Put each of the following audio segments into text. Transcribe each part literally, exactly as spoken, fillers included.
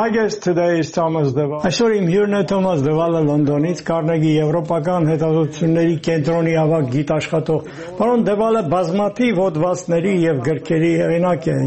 My guest today is Thomas Deval. Այսօր իմ հյուրն է Թոմաս Դևալը Լոնդոնից, Carnegie եվրոպական հետազոտությունների կենտրոնի ավագ գիտաշխատող։ Պարոն Դևալը բազմաթիվ հոդվածների եւ գրքերի հեղինակ է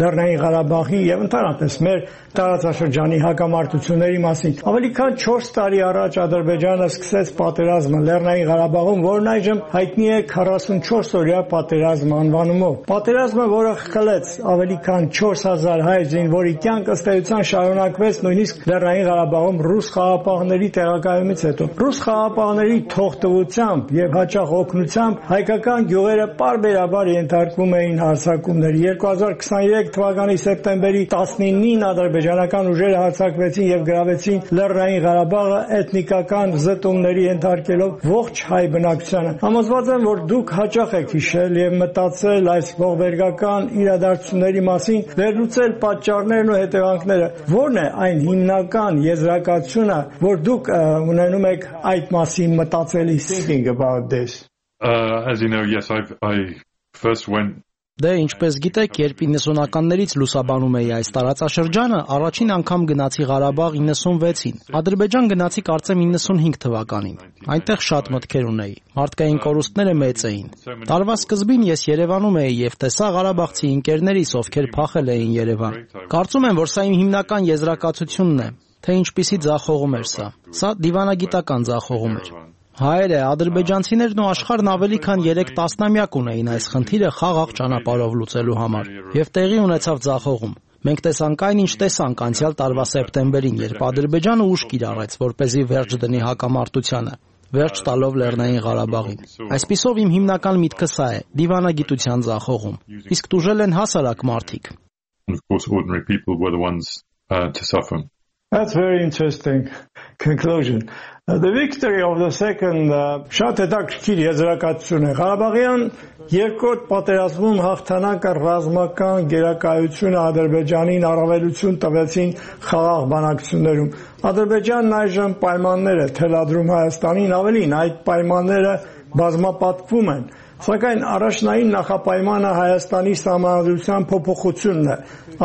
Լեռնային Ղարաբաղի եւ ընդհանրապես մեր տարածաշրջանի հակամարտությունների մասին։ Ավելի քան չորս տարի առաջ Ադրբեջանը սկսեց պատերազմը Լեռնային Ղարաբաղում, որն այժմ հայտնի է քառասունչորս-օրյա պատերազմ անվանումով։ Պատերազմը, որը խլեց ավելի քան չորս հազար հայ զինվորի կյանք, ըստ էության շարունակվեց նույնիսկ Լեռնային Ղարաբաղում ռուս խաղաղապահների տեղակայումից հետո։ Ռուս խաղաղապահների թողտվությամբ եւ հաճախ օգնությամբ հայկական գյուղերը պարբերաբար ենթարկվում էին հարձակումների։ երկու հազար քսաներեք թվականի սեպտեմբերի տասնինին ադրբեջանական ուժերը հարձակվեցին եւ գրավեցին Լեռնային Ղարաբաղը էթնիկական զտումների ենթարկելով ողջ հայ բնակչությանը։ Համոզված եմ, որ դուք հաճախ եք հիշել եւ մտածել այս ողբերգական իրադարձությունների մասին, վերլուծել պատճառներն ու հետևանքները։ Որն է այն հիմնական եզրակացությունը, որ դուք ունենում եք այդ մասին մտածելիս? Thinking about this. Uh, as you know, yes, I've, I first went Դե ինչպես գիտեք, երբ իննսունականներից լուսաբանում էի այս տարածաշրջանը, առաջին անգամ գնացի Ղարաբաղ իննսունվեցին։ Ադրբեջան գնացի կարծեմ իննսունհինգ թվականին։ Այնտեղ շատ մտքեր ունեի։ Մարդկային կորուստները մեծ էին։ Տարվա սկզբին ես Երևանում էի եւ տեսա ղարաբաղցի ընկերներիս, ովքեր փախել էին Երևան։ Կարծում եմ, որ սա իմ հիմնական եզրակացությունն է, թե ինչպիսի ձախողում էր սա։ Սա դիվանագիտական ձախողում էր։ Հայերը, ադրբեջանցիներն ու աշխարհն ավելի քան երեք տասնամյակ ունեին այս խնդիրը խաղաղ ճանապարհով լուծելու համար, եւ տեղի ունեցավ ձախողում։ Մենք տեսանք այն, ինչ տեսանք անցյալ տարվա սեպտեմբերին, երբ Ադրբեջանը ուժ կիրառեց, որպեսզի վերջ դնի հակամարտությանը, վերջ տալով Լեռնային Ղարաբաղին։ Այսպիսով իմ հիմնական միտքը սա է՝ դիվանագիտության ձախողում։ Իսկ տուժել են հասարակ մարդիկ։ That's very interesting conclusion. Uh, the victory of the second շատ հետաքրքիր եզրակացություն է։ Ղարաբաղյան երկրորդ պատերազմում հաղթանակը ռազմական գերակայությունը Ադրբեջանին առավելություն տվեցին խաղաղ բանակցություններում։ Ադրբեջանն այժմ պայմաններ է թելադրում Հայաստանին, ավելին այդ պայմանները բազմապատկվում են։ Սակայն առաջնային նախապայմանը Հայաստանի սահմանադրության փոփոխությունն է։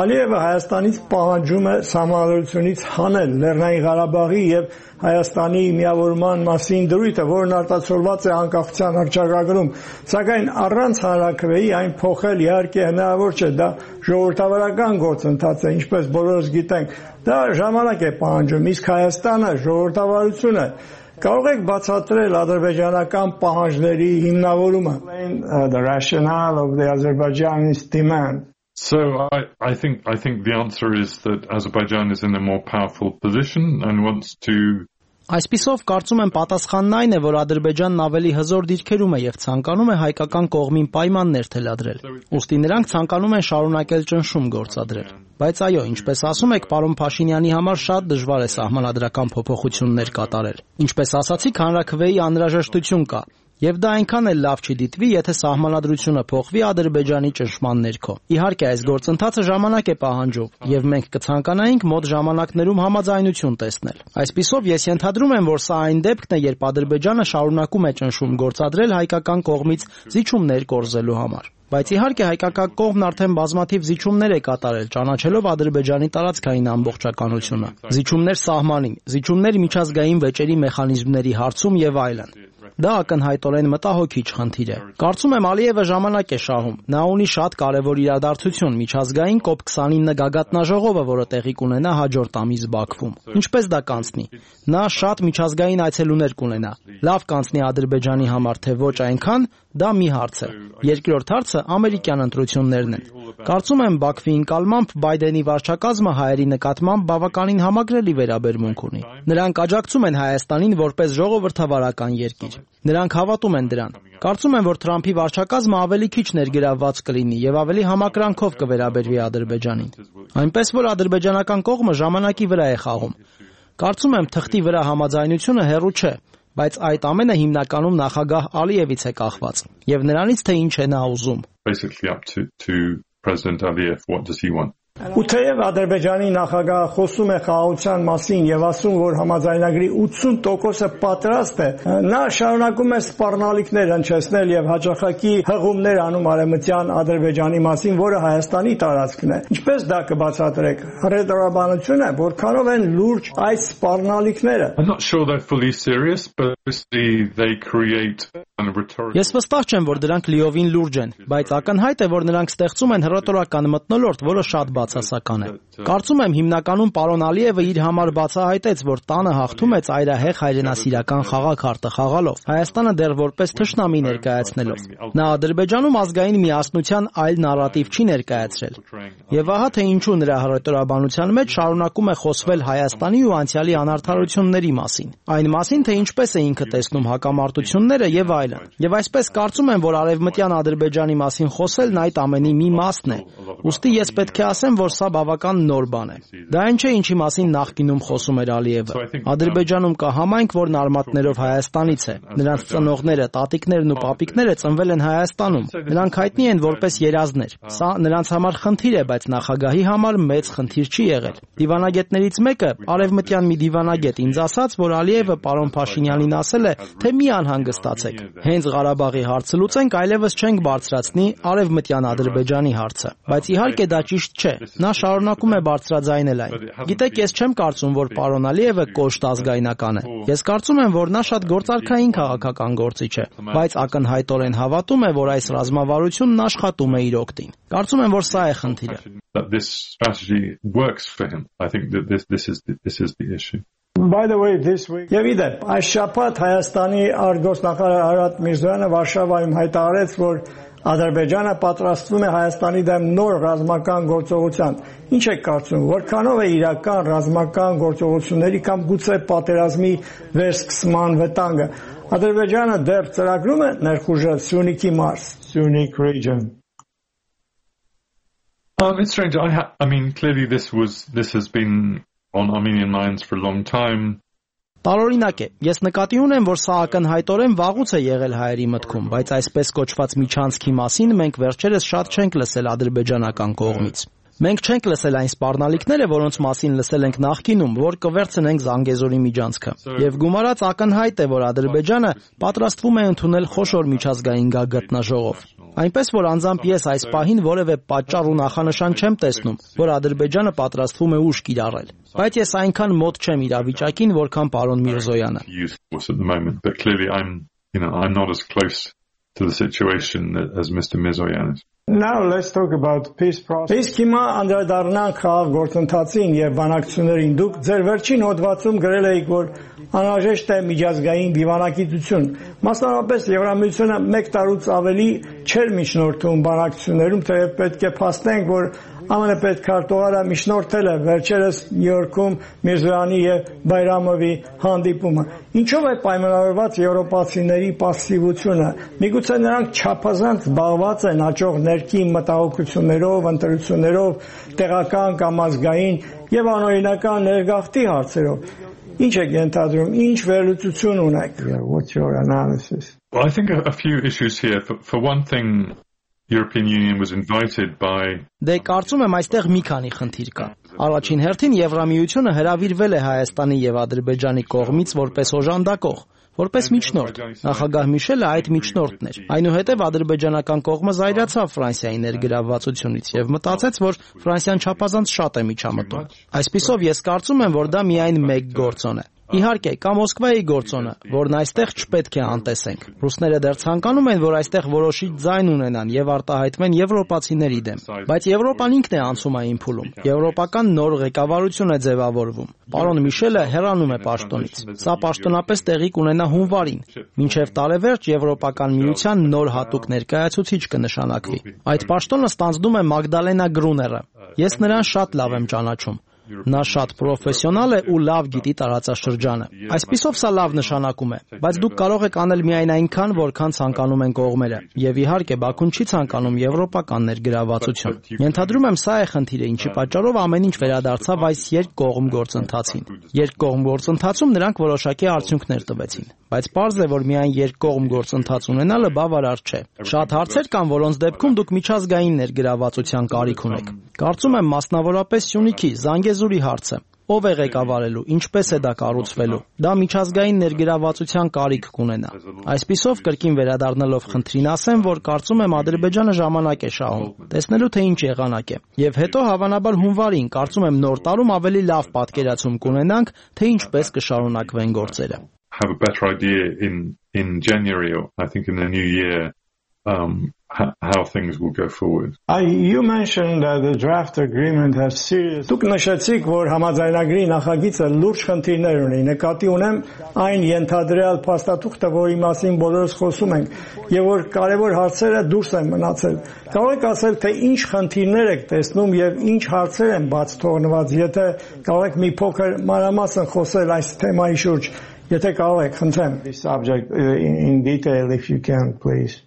Ալիևը Հայաստանից պահանջում է սահմանադրությունից հանել Լեռնային Ղարաբաղի եւ Հայաստանի միավորման մասին դրույթը, որն արտացոլված է անկախության հռչակագրում։ Սակայն առանց հանրաքվեի այն փոխել իհարկե հնարավոր չէ, դա ժողովրդավարական գործընթաց է, ինչպես բոլորս գիտենք։ Դա ժամանակ է պահանջում, իսկ Հայաստանը ժողովրդավարություն է։ Կարող եք բացատրել ադրբեջանական պահանջների հիմնավորումը, the rationale of the Azerbaijan's demand. So I, I think I think the answer is that Azerbaijan is in a more powerful position and wants to Այսպիսով կարծում եմ պատասխանն այն է, որ Ադրբեջանն ավելի հզոր դիրքերում է եւ ցանկանում է հայկական կողմին պայմաններ թելադրել։ Ուստի նրանք ցանկանում են շարունակել ճնշում գործադրել։ Բայց այո, ինչպես ասում եք, պարոն Փաշինյանի համար շատ դժվար է սահմանադրական փոփոխություններ կատարել։ Ինչպես ասացիք, հանրաքվեի անհրաժեշտություն կա։ Եվ դա այնքան էլ լավ չի դիտվի, եթե սահմանադրությունը փոխվի Ադրբեջանի ճնշման ներքո։ Իհարկե, այս գործընթացը ժամանակ է պահանջում, եւ մենք կցանկանայինք մոտ ժամանակներում համաձայնություն տեսնել։ Այսպիսով, ես ենթադրում եմ, որ սա այն դեպքն է, երբ Ադրբեջանը շարունակում է ճնշում գործադրել հայկական կողմից զիջումներ կորզելու համար։ Բայց իհարկե հայկական կողմն արդեն բազմաթիվ զիջումներ է կատարել, ճանաչելով Ադրբեջանի տարածքային ամբողջականությունը։ Զիջումներ սահմանին, զիջումներ միջազգային վեճերի մեխանիզմների հարցում եւ այլն։ Դա ակնհայտորեն մտահոգիչ խնդիր է։ Կարծում եմ Ալիևը ժամանակ է շահում։ Նա ունի շատ կարևոր իրադարձություն՝ միջազգային կոպ քսանինը գագաթնաժողովը, որը տեղի կունենա հաջորդ ամիս Բաքվում։ Ինչպես դա կանցնի։ Նա շատ միջազգային այցելուներ կունենա։ Լավ կանցնի Ադրբեջանի համար, թե ոչ այնքան, դա մի հարց է։ Երկրորդ հարցը ամերիկյան ընտրություններն են։ Կարծում եմ Բաքվի ընկալմամբ Բայդենի վարչակազմը հայերի նկատմամբ բավականին համակրելի վերաբերմունք ունի։ Նրանք աջակցում են Հայաստանին որպես ժողովրդավարական երկիր։ Նրանք հավատում են դրան։ Կարծում եմ, որ Թրամփի վարչակազմը ավելի քիչ ներգրավված կլինի եւ ավելի համակրանքով կվերաբերվի Ադրբեջանին։ Այնպես որ ադրբեջանական կողմը ժամանակի վրա է խաղում։ Կարծում եմ թղթի վրա համաձայնությունը հեռու չէ, բայց այդ ամենը հիմնականում նախագահ Ալիևից է կախված եւ նրանից թե ինչ է նա ուզում։ Basically up to to President Aliyev, what does he want? Ու թեև Ադրբեջանի նախագահը խոսում է խաղաղության մասին եւ ասում, որ համաձայնագրի ութսուն տոկոսը պատրաստ է, նա շարունակում է սպառնալիքներ հնչեցնել եւ հաջողակի հղումներ անում արևմտյան Ադրբեջանի մասին, որը Հայաստանի տարածքն է։ Ինչպես դա կբացատրեք։ Հռետորաբանություն է, որքանով են լուրջ այս սպառնալիքները։ I'm not sure they're fully serious, but obviously they create a rhetoric. Ես վստահ չեմ, որ դրանք լիովին լուրջ են, բայց ակնհայտ է, որ նրանք ստեղծում են հռետորական մթնոլորտ, որը շատ բացասական է։ Կարծում եմ հիմնականում պարոն Ալիևը իր համար բացահայտեց, որ տանը հաղթում է ծայրահեղ հայրենասիրական խաղաքարտը խաղալով, Հայաստանը դեռ որպես թշնամի ներկայացնելով։ Նա Ադրբեջանում ազգային միասնության այլ նարատիվ չի ներկայացրել։ Եվ ահա թե ինչու նրա հռետորաբանության մեջ շարունակում է խոսվել Հայաստանի ու անցյալի անարդարությունների մասին, այն մասին, թե ինչպես է ինքը տեսնում հակամարտությունները եւ այլն։ Եվ այսպես կարծում եմ, որ արևմտյան Ադրբեջանի մասին խոսելն այդ ամենի մի մասն է։ Ուստի ես պետք է ասեմ, որ սա բավական նոր բան է։ Դա այն չէ, ինչի մասին նախկինում խոսում էր Ալիևը։ Ադրբեջանում կա համայնք, որն արմատներով Հայաստանից է։ Նրանց ծնողները, տատիկներն ու պապիկները ծնվել են Հայաստանում։ Նրանք հայտնի են որպես երազներ։ Սա նրանց համար խնդիր է, բայց նախագահի համար մեծ խնդիր չի եղել։ Դիվանագետներից մեկը, արևմտյան մի դիվանագետ, ինձ ասաց, որ Ալիևը պարոն Փաշինյանին ասել է, թե մի անհանգստացեք։ Հենց Ղարաբաղի հարցը լուծենք, այլևս չենք բարձրացնի արևմտյան Ադրբեջանի հարցը։ Բայց իհարկե դա ճիշտ չէ։ Նա շարունակում է բարձրաձայնել այն։ Գիտեք, ես չեմ կարծում, որ պարոն Ալիևը կոշտ ազգայնական է։ Ես կարծում եմ, որ նա շատ գործարքային քաղաքական գործիչ է, բայց ակնհայտորեն հավատում է, որ այս ռազմավարությունն աշխատում է իր օգտին։ Կարծում եմ, որ սա է խնդիրը։ This strategy works for him. I think that this this is this is the issue. By the way, this week Եվ իդեպ, այս շաբաթ Հայաստանի արտգործնախարար Արարատ Միրզոյանը Վարշավայում հայտարարեց, որ Ադրբեջանը պատրաստվում է Հայաստանի դեմ նոր ռազմական գործողության։ Ինչ եք կարծում, որքանով է իրական ռազմական գործողությունների կամ գուցե պատերազմի վերսկսման վտանգը։ Ադրբեջանը դեռ ծրագրում է ներխուժել Սյունիքի մարզ, Սյունիք region։ Um, it's strange. I, ha- I mean, clearly this was this has been on Armenian minds for a long time. Տարօրինակ է։ Ես նկատի ունեմ, որ սա ակնհայտորեն վաղուց է եղել հայերի մտքում, բայց այսպես կոչված միջանցքի մասին մենք վերջերս շատ չենք լսել ադրբեջանական կողմից։ Մենք չենք լսել այն սպառնալիքները, որոնց մասին լսել ենք նախկինում, որ կվերցնենք Զանգեզուրի միջանցքը։ Եվ գումարած ակնհայտ է, որ Ադրբեջանը պատրաստվում է ընդունել խոշոր միջազգային գագաթնաժողով։ Այնպես որ անձամբ ես այս պահին որևէ պատճառ ու նախանշան չեմ տեսնում, որ Ադրբեջանը պատրաստվում է ուժ կիրառել։ Բայց ես այնքան մոտ չեմ իրավիճակին, որքան պարոն Միրզոյանը։ But clearly I'm, you know, I'm not as close to the situation as Mister Mirzoyan is. Now let's talk about peace process. Իսկ հիմա անդրադառնանք խաղաղ գործընթացին եւ բանակցություններին։ Դուք ձեր վերջին հոդվածում գրել եք, որ անհրաժեշտ է միջազգային դիվանագիտություն։ Մասնավորապես Եվրամիությունը մեկ տարուց ավելի չէր միջնորդում բանակցություններում, թեև պետք է փաստենք, որ ԱՄՆ պետքարտուղարը միջնորդել է վերջերս Նյու Յորքում Միրզոյանի եւ Բայրամովի հանդիպումը։ Ինչով է պայմանավորված եվրոպացիների պասիվությունը։ Միգուցե նրանք չափազանց զբաղված են հաջող ներքին մտահոգություններով, ընտրություններով, տեղական կամ ազգային եւ անօրինական ներգաղթի հարցերով։ Ինչ եք ենթադրում, ինչ վերլուծություն ունեք։ What's your analysis? Well, I think a, a few issues here. For, for one thing, European Union was invited by Դե կարծում եմ այստեղ մի քանի խնդիր կա։ Առաջին հերթին Եվրամիությունը հրավիրվել է Հայաստանի եւ Ադրբեջանի կողմից որպես օժանդակող, որպես միջնորդ։ Նախագահ Միշելը այդ միջնորդն էր։ Այնուհետև ադրբեջանական կողմը զայրացավ Ֆրանսիայի ներգրավվածությունից եւ մտածեց, որ Ֆրանսիան չափազանց շատ է միջամտում։ Այսպիսով ես կարծում եմ, որ դա միայն մեկ գործոն է։ Իհարկե, կա Մոսկվայի գործոնը, որն այստեղ չպետք է անտեսենք։ Ռուսները դեռ ցանկանում են, որ այստեղ որոշիչ ձայն ունենան եւ արտահայտվեն եվրոպացիների դեմ, բայց Եվրոպան ինքն է անցում այն փուլում։ Եվրոպական նոր ղեկավարություն է ձևավորվում։ Պարոն Միշելը հեռանում է պաշտոնից։ Սա պաշտոնապես տեղի կունենա հունվարին։ Մինչև տարեվերջ Եվրոպական միության նոր հատուկ ներկայացուցիչ կնշանակվի։ Այդ պաշտոնը ստանձնում է Մագդալենա Գրուները։ Ես նրան շատ լավ եմ ճանաչում։ Նա շատ պրոֆեսիոնալ է ու լավ գիտի տարածաշրջանը։ Այսպիսով սա լավ նշանակում է, բայց դուք կարող եք անել միայն այնքան, որքան ցանկանում են կողմերը։ Եվ իհարկե Բաքուն չի ցանկանում եվրոպական ներգրավվածություն։ Ենթադրում եմ սա է խնդիրը, ինչի պատճառով ամեն ինչ վերադարձավ այս երկկողմ գործընթացին։ Երկկողմ գործընթացում նրանք որոշակի արդյունքներ տվեցին, բայց պարզ է, որ միայն երկկողմ գործընթաց ունենալը բավարար չէ։ Շատ հարցեր կան, որոնց դեպքում դուք միջազգային ներգրավվածության կարիք ունեք։ Կարծում եմ մասնավորապես Սյունիքի, Զանգեզուրի հարցը։ Ով է ղեկավարելու, ինչպես է դա կառուցվելու։ Դա միջազգային ներգրավվածության կարիք կունենա։ Այսպիսով կրկին վերադառնալով խնդրին ասեմ, որ կարծում եմ Ադրբեջանը ժամանակ է շահում, տեսնելու թե ինչ եղանակ է։ Եվ հետո հավանաբար հունվարին կարծում եմ նոր տարում ավելի լավ պատկերացում կունենանք, թե ինչպես կշարունակվեն գործերը։ Have a better idea in in January, or I think in the new year, um, how, how things will go forward. I, you mentioned that the draft agreement has serious. Դուք նշեցիք, որ համաձայնագրի նախագիծը լուրջ խնդիրներ ունի։ Նկատի ունեմ այն ենթադրյալ փաստաթուղթը, որի մասին բոլորս խոսում ենք, եւ որ կարևոր հարցերը դուրս են մնացել։ Կարող եք ասել, թե ինչ խնդիրներ եք տեսնում եւ ինչ հարցեր են բաց թողնված, եթե կարող եք մի փոքր մանրամասն խոսել այս թեմայի շուրջ, եթե կարող եք, խնդրեմ։ This subject in, in detail, if you can, please.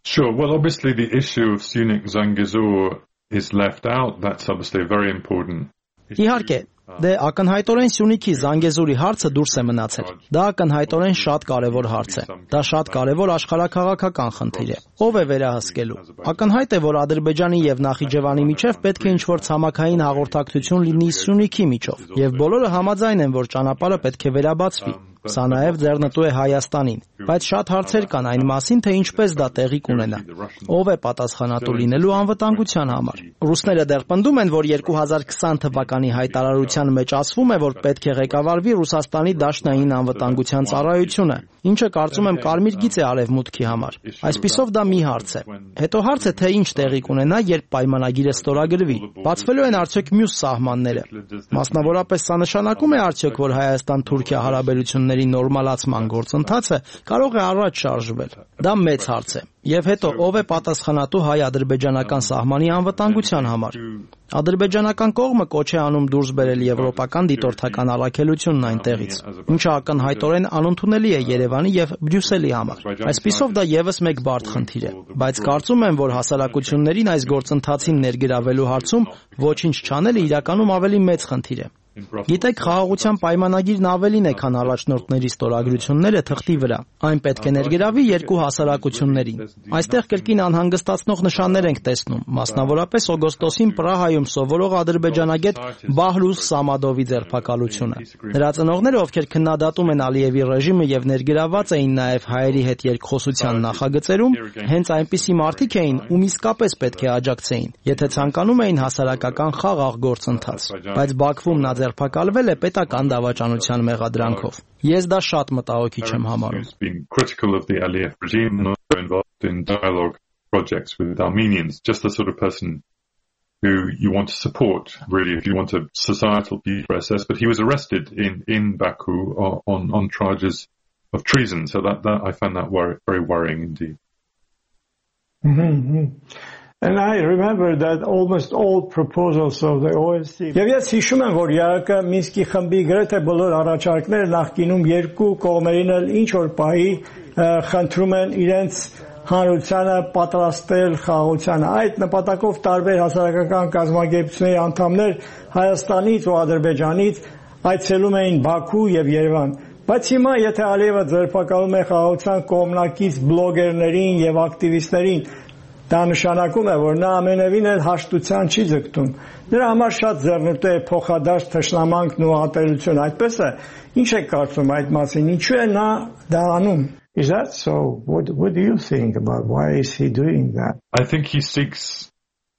Sure. Well, obviously the issue of Syunik Zangezur is left out. That's obviously very important. Իհարկե, դե ակնհայտորեն Սյունիքի Զանգեզուրի հարցը դուրս է մնացել։ Դա ակնհայտորեն շատ կարևոր հարց է։ Դա շատ կարևոր աշխարհաքաղաքական խնդիր է։ Ով է վերահսկելու։ Ակնհայտ է, որ Ադրբեջանի եւ Նախիջևանի միջև պետք է ինչ-որ ցամաքային հաղորդակցություն լինի Սյունիքի միջով, եւ բոլորը համաձայն են, որ ճանապարհը պետք է վերաբացվի։ Սա նաև ձեռնտու է Հայաստանին, բայց շատ հարցեր կան այն մասին, թե ինչպես դա տեղի կունենա։ Ով է պատասխանատու լինելու անվտանգության համար։ Ռուսները դեռ պնդում են, որ երկու հազար քսան թվականի հայտարարության մեջ ասվում է, որ պետք է ղեկավարվի Ռուսաստանի Դաշնային անվտանգության ծառայությունը, ինչը կարծում եմ կարմիր գիծ է արևմուտքի համար։ Այսպիսով դա մի հարց է։ Հետո հարց է, թե ինչ տեղի կունենա, երբ պայմանագիրը ստորագրվի։ Բացվելու են արդյոք մյուս սահմանները։ Մասնավորապես սա նշանակում է արդյոք, որ Հայաստան-Թուրքիա հարաբերությունները նորմալացման գործընթացը կարող է առաջ շարժվել։ Դա մեծ հարց է։ Եվ հետո ով է պատասխանատու հայ-ադրբեջանական սահմանի անվտանգության համար։ Ադրբեջանական կողմը կոչ է անում դուրս բերել եվրոպական դիտորդական առաքելությունն այնտեղից, ինչը ակնհայտորեն անընդունելի է Երևանի եւ Բրյուսելի համար։ Այսպիսով դա եւս մեկ բարդ խնդիր է, բայց կարծում եմ, որ հասարակություններին այս գործընթացին ներգրավելու հարցում ոչինչ չանելը իրականում ավելի մեծ խնդիր է։ Գիտեք, խաղաղության պայմանագիրն ավելին է, քան առաջնորդների ստորագրությունները թղթի վրա։ Այն պետք է ներգրավի երկու հասարակություններին։ Այստեղ կրկին անհանգստացնող նշաններ ենք տեսնում, մասնավորապես օգոստոսին Պրահայում սովորող ադրբեջանագետ Բահլուս Սամադովի ձերբակալությունը։ Նրա ծնողները, ովքեր քննադատում են Ալիևի ռեժիմը եւ ներգրավված էին նաեւ հայերի հետ երկխոսության նախագծերում, հենց այնպիսի մարդիկ էին, ում իսկապես պետք է աջակցեին, եթե ցանկանում էին հասարակական խաղաղ գործընթաց։ Բայց Բաքվում նա ձերբակալվել է պետական դավաճանության մեղադրանքով։ Ես դա շատ մտահոգիչ եմ համարում։ Critical of the Aliyev regime and also involved in dialogue projects with Armenians, just the sort of person who you want to support, really, if you want a societal peace process. But he was arrested in, in Baku on, on charges of treason. So that, that I find that wor- very worrying indeed. Mm-hmm. And I remember that almost all proposals of the O S C. Եվ ես հիշում եմ, որ ԵԱԿ Մինսկի խմբի գրեթե բոլոր առաջարկները նախկինում երկու կողմերին էլ ինչ որ պահի խնդրում են իրենց հանրությանը պատրաստել խաղաղությանը։ Այդ նպատակով տարբեր հասարակական կազմակերպությունների անդամներ Հայաստանից ու Ադրբեջանից այցելում էին Բաքու եւ Երևան։ Բայց հիմա եթե Ալիևը ձերբակալում է խաղաղության կողմնակից բլոգերներին եւ ակտիվիստներին, դա նշանակում է, որ նա ամենևին էլ հաշտության չի ձգտում։ Նրա համար շատ ձեռնտու է փոխադարձ թշնամանքն ու ատելությունը։ Այդպես է, ինչ եք կարծում այդ մասին, ինչու է նա դա անում։ Is that so? What what do you think about why is he doing that? I think he seeks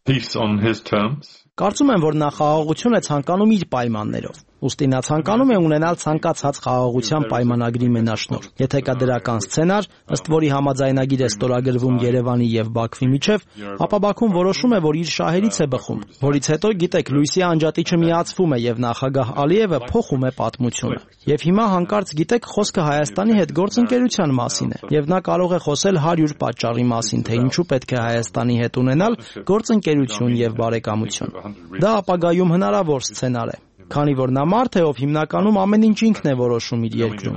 peace on his terms. Կարծում եմ, որ նա խաղաղություն է ցանկանում իր պայմաններով։ Ուստի նա ցանկանում է ունենալ ցանկացած խաղաղության պայմանագրի մենաշնորհ։ Եթե կա դրական սցենար, ըստ որի համաձայնագիր է ստորագրվում Երևանի եւ Բաքվի միջև, ապա Բաքուն որոշում է, որ իր շահերից է բխում, որից հետո, գիտեք, լույսի անջատիչը միացվում է եւ նախագահ Ալիևը փոխում է պատմությունը։ Եվ հիմա հանկարծ, գիտեք, խոսքը Հայաստանի հետ գործընկերության մասին է, եւ նա կարող է խոսել հարյուր պատճառի մասին, թե ինչու պետք է Հայաստանի հետ ունենալ գործընկերություն եւ բարեկամություն։ Դա ապագայում հնարավոր սցենար է, քանի որ նա մարդ է, ով հիմնականում ամեն ինչ ինքն է որոշում իր երկրում։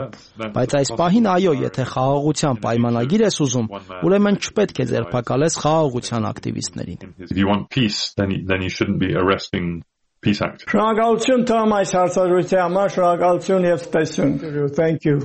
Բայց այս պահին, այո, եթե խաղաղության պայմանագիր ես ուզում, ուրեմն չպետք է ձերբակալես խաղաղության ակտիվիստներին։ If you want peace, then you, then you shouldn't be arresting peace activists. Շնորհակալություն Թոմ այս հարցազրույցի համար, շնորհակալություն եւ ցտեսություն։ Thank you.